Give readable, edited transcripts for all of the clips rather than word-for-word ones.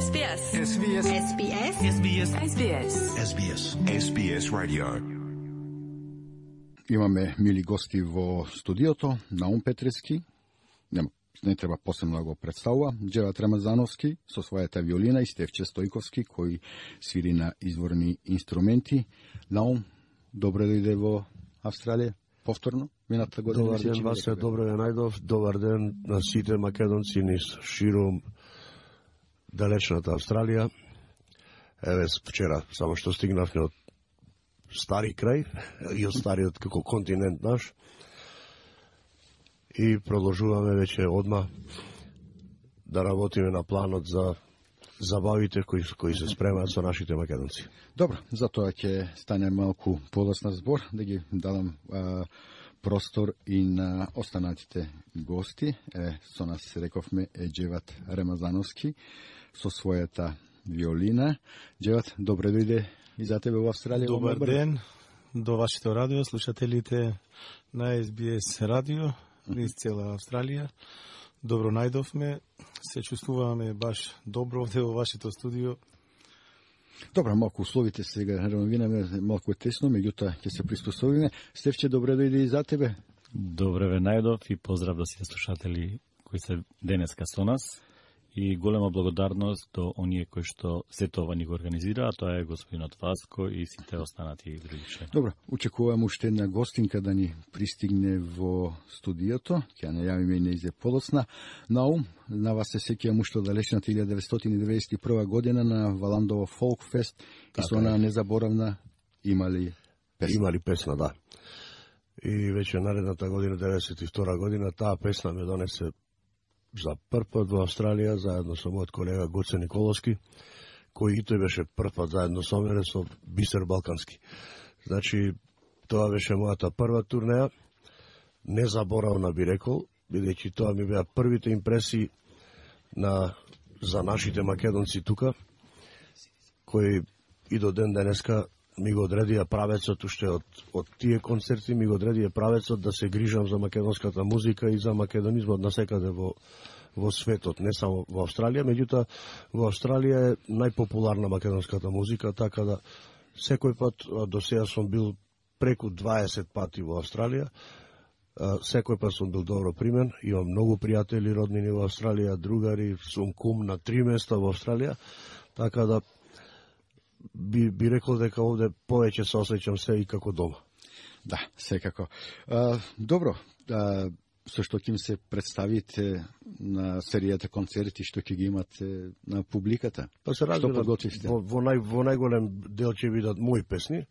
SBS. SBS. SBS. SBS. SBS. SBS. SBS Radio. Имаме мили гости во студиото, Наум Петрески, не треба посебно да го представува, Джеват Рамазановски со својата виолина и Стефче Стојковски, кој свири на изворни инструменти. Наум, добре дојде во Австралија, повторно, мината година. Добар ден, Васе, добре ве најдов. Добар ден на сите македонци низ ширум далечната Австралија. Еве, вчера само што стигнавме од стари крај и од стариот како континент наш и продолжуваме веќе одма да работиме на планот за забавите кои се спремаат со нашите македонци. Добро, затоа ќе стане малку подоцна збор, да ги дадам простор и на останатите гости. Со нас, рековме, е Джеват Рамазановски со својата виолина. Джеват, добре дојде и за тебе во Австралија. Добар ден до вашето радио, слушателите на SBS радио низ цела Австралија. Добро најдовме, се чувствуваме баш добро овде во вашето студио. Добро, малку условите сега рамавинаме, малку е тесно, меѓутоа ќе се приспособиме. Стефче, добре дојде и за тебе. Добре ве најдов и поздрав до сите слушатели кои се денеска со нас. И голема благодарност до оние кои што сето ова ни го организира, а тоа е господинот Васко и сите останати други члени. Добро, очекувам уште една гостинка да ни пристигне во студиото, ќе најавиме и неизе подоцна. Наум, на вас се сеќавам уште од далечната 1991 година на Валандово Фолк Фест и со онаа незаборавна имали песна. Имали песна, да. И веќе наредната година, 92 година, таа песна ме донесе за прв пат во Австралија, заедно со мојот колега Гоце Николовски, кој и тој беше прв пат заедно со мене со Бисер Балкански. Значи, тоа беше мојата прва турнеја, незаборавна би рекол, бидејќи тоа ми беа првите импресии за нашите македонци тука, кои и до ден денеска ми го одредија правецот, уште од тие концерти ми го одредија правецот да се грижам за македонската музика и за македонизмот насекаде во светот, не само во Австралија, меѓутоа во Австралија е најпопуларна македонската музика, така да секој пат, до сега сум бил преку 20 пати во Австралија, секој пат сум бил добро примен, имам многу пријатели роднини во Австралија, другари, сум кум на 3 места во Австралија, така да би рекол дека овде повеќе се осеќам се и како дома. Да, секако. Добро, со што ќе се представите на серијата концерти што ќе ги имате на публиката? Па се разбира, во најголем дел ќе бидат мои песни,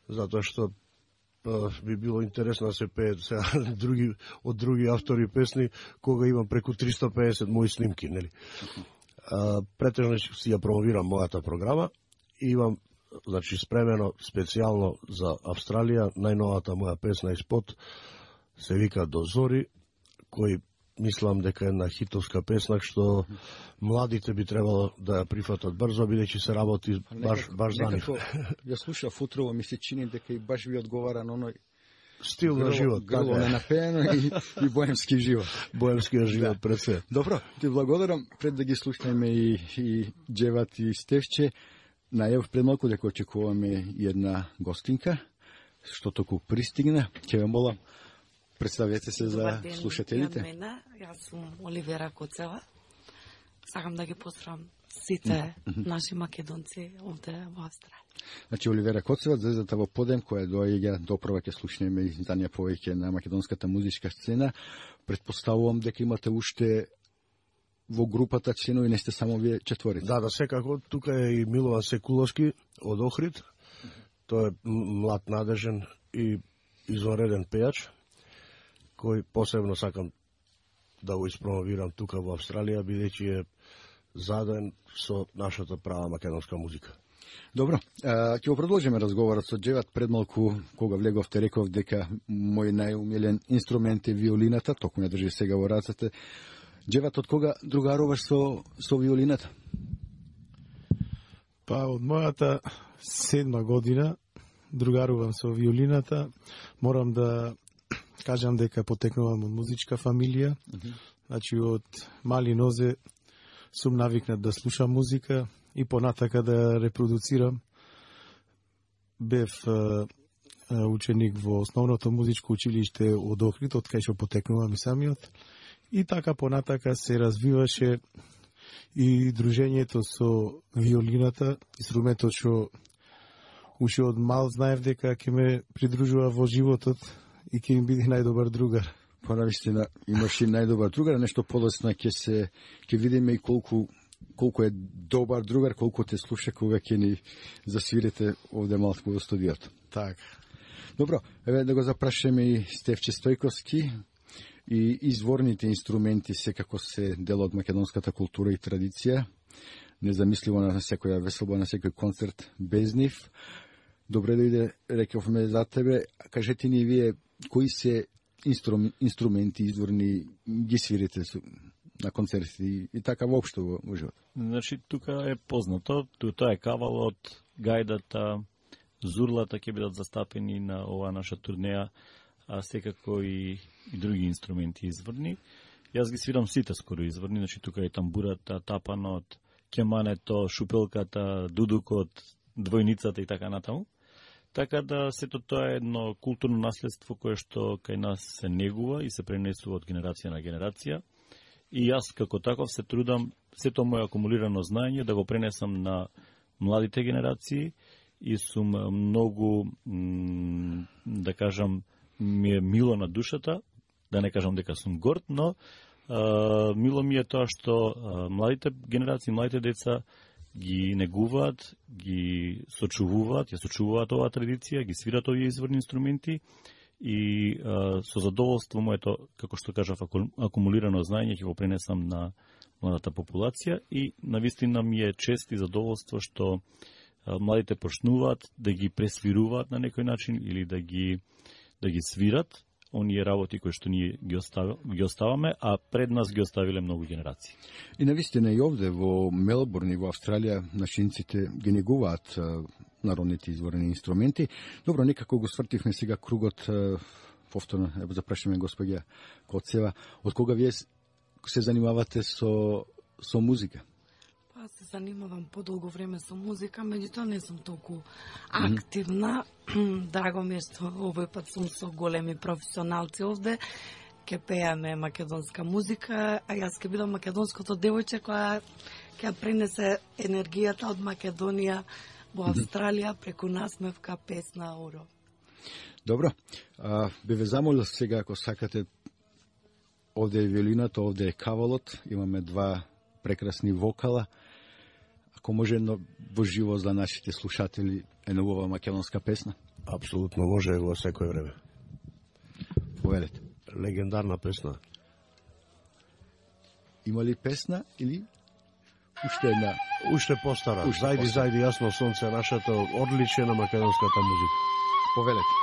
затоа што би било интересно да се пеат сега од други автори песни, кога имам преку 350 мои снимки, нели? Претежно си ја промовирам мојата програма. Имам, значи, спремено специјално за Австралија, најновата моја песна испод се вика До зори, кој мислам дека е една хитовска песна, што младите би требало да ја прифатат брзо, бидејќи се работи баш за нив. Ја слушав утрово, ми се чини дека и баш ви одговара на оној стил на живот, грло ненапеено и боемски живот. Боемскиот живот пред се. Добро, ти благодарам. Пред да ги слушнеме и Джеват и Стефче, најав пред малку дека очекуваме една гостинка, што току пристигна. Ќе ве молам, представете се за слушателите. Јас сум Оливера Коцева. Сакам да ги поздравам сите наши македонци овде во Австралија. Значи, Оливера Коцева, звездата во подем, која доаѓа допрва ќе слушнеме и за неја повеќе на македонската музичка сцена. Предпоставувам дека имате уште во групата членови, не сте само вие четворица. Да, секако. Тука е и Милован Секуловски од Охрид. Тој е млад, надежен и извонреден пејач, кој посебно сакам да го испромовирам тука во Австралија, бидејќи е заден со нашата права македонска музика. Добро, ќе го продолжиме разговорот со Джеват. Пред малку, кога влеговте, реков дека мој најумилен инструмент е виолината, току не држи сега во рацете. Джеват, од кога другаруваш со виолината? Па, од мојата 7 година другарувам со виолината. Морам да кажам дека потекнувам од музичка фамилија. Значи, од мали нозе сум навикнат да слушам музика и понатака да репродуцирам. Бев ученик во основното музичко училиште од Охрид, од кај што потекнувам и самиот. И така понатака се развиваше и дружењето со виолината, инструментот што уште од мал знаев дека ќе ме придружува во животот и ќе им биде најдобар другар. Понавистина имаш и најдобар другар, нешто полесно ќе видиме и колку е добар другар, колку те слуша кога ќе ни засвирите овде малку во студиото. Така. Добро, еве да го запрашаме и Стефче Стојковски. И изворните инструменти секако се дел од македонската култура и традиција. Незамисливо на секоја веселба, на секој концерт без нив. Добре дојде, рековме за тебе. Кажете ни вие, кои се инструменти изворни ги свирите на концерти и така воопшто во живот? Значи, тука е познато. Тоа е кавалот, гајдата, зурлата ќе бидат застапени на оваа наша турнеја, а секако и други инструменти изворни. Јас ги свирам сите скоро изворни, значи тука е тамбурата, тапанот, кемането, шупелката, дудукот, двојницата и така натаму. Така да сето тоа е едно културно наследство кое што кај нас се негува и се пренесува од генерација на генерација. И јас како таков се трудам сето моје акумулирано знаење да го пренесам на младите генерации и сум многу, да кажам, ми е мило на душата, да не кажам дека сум горд, но мило ми е тоа што младите генерации, младите деца ги негуваат, ги сочувуваат, ја сочувуваат оваа традиција, ги свират овие изворни инструменти и со задоволство моето, како што кажав, акумулирано знаење ќе го пренесам на младата популација и навистина ми е чест и задоволство што младите почнуваат да ги пресвируваат на некој начин или да ги свират оние работи кои што ние ги оставаме, а пред нас ги оставиле многу генерации. И навистина и овде во Мелбурн и во Австралија нашинците ги негуваат народните изворни инструменти. Добро, некако го свртивме сега кругот, повторно, ево запрашаме господја Коцева, од кога вие се занимавате со музика? Аз се занимавам подолго време со музика, меѓутоа не сум толку активна. Драго ми е што овој пат сум со големи професионалци овде. Ке пееме македонска музика, а јас ке бидам македонското девојче која ќе пренесе енергијата од Македонија во Австралија преку насмевка, песна, оро. Добро, би ве замолил сега, ако сакате, овде е виолината, овде е кавалот, имаме два прекрасни вокала. Ако може едно во живо за нашите слушатели една убава македонска песна? Апсолутно може во секој време. Повелете. Легендарна песна. Има ли песна или уште една? Уште постара. Зајди, јасно сонце, нашата одличие на македонската музика. Повелете.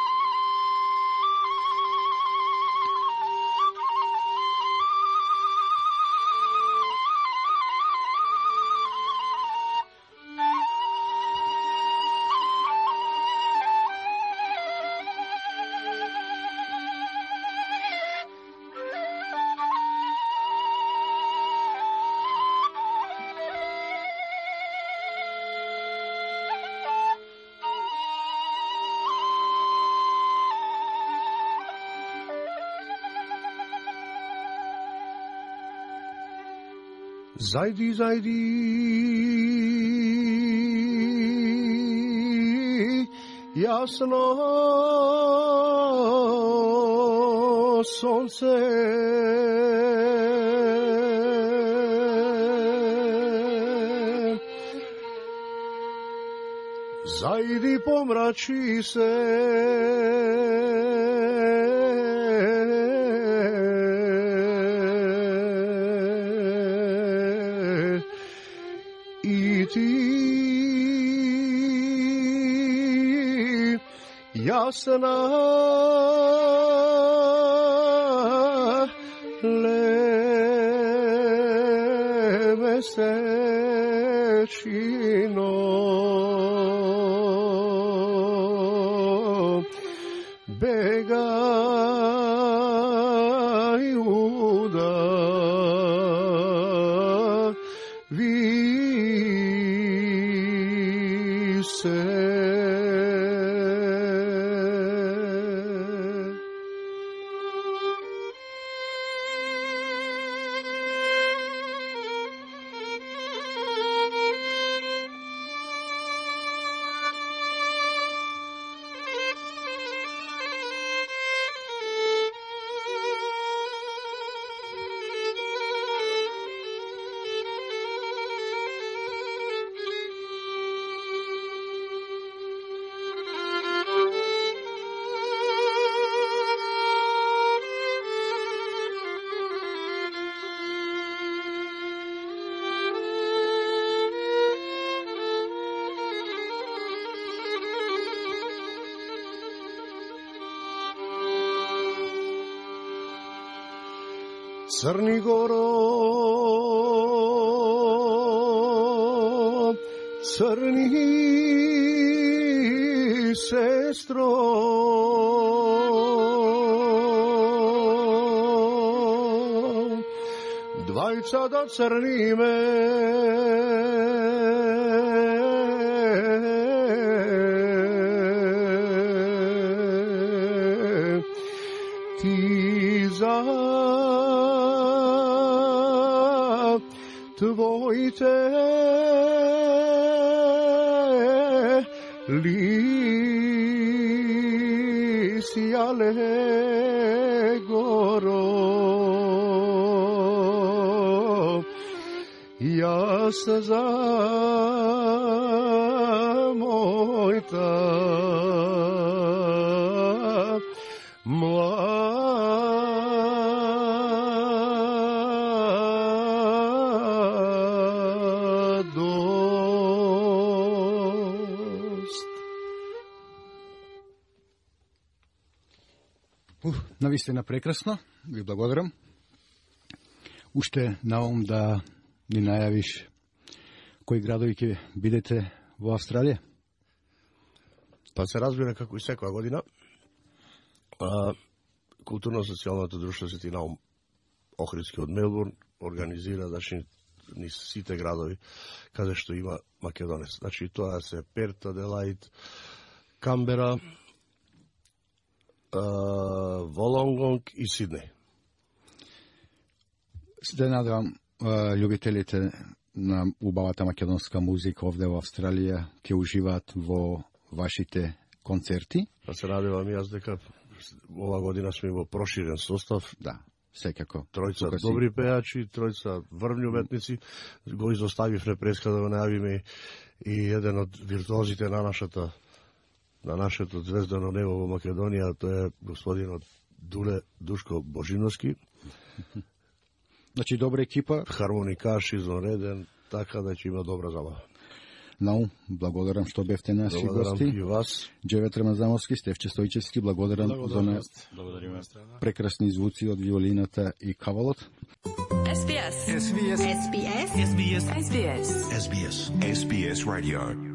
Зајди, зајди, јасно сонце, зајди помрачи се, јасна лемесечино бегају да Црни Горо, црни сестро, двајца да црниме, ти за твоите лисјале горо, јас за мојта Навистина прекрасно, ви благодарам. Уште наум да ни најавиш кои градови ќе бидете во Австралија? Па се разбира како и секоја година. Културно-социјалното друштво Свети Наум Охридски од Мелбурн организира ни сите градови каде што има македонец. Значи тоа се Перт, Аделаид, Камбера, Волонгонг и Сиднеј. Се надевам љубителите на убавата македонска музика овде во Австралија ќе уживаат во вашите концерти. Па се надевам јас дека ова година сме во проширен состав. Да, секако. Тројца добри пејачи, тројца врвни уметници. Го изоставивме преска да го најавиме и еден од виртуозите на нашето звездано небо во Македонија, тоа е господинот Дуле Душко Божиновски. Значи добра екипа, хармоникаш изонреден, така да ќе има добра забава. Наум, благодарам што бевте наши гости. Благодарам и вас. Джевет Рамазановски, Стефче Стојчевски, благодарам за Благодариме. прекрасни звуци од виолината и кавалот. SBS Radio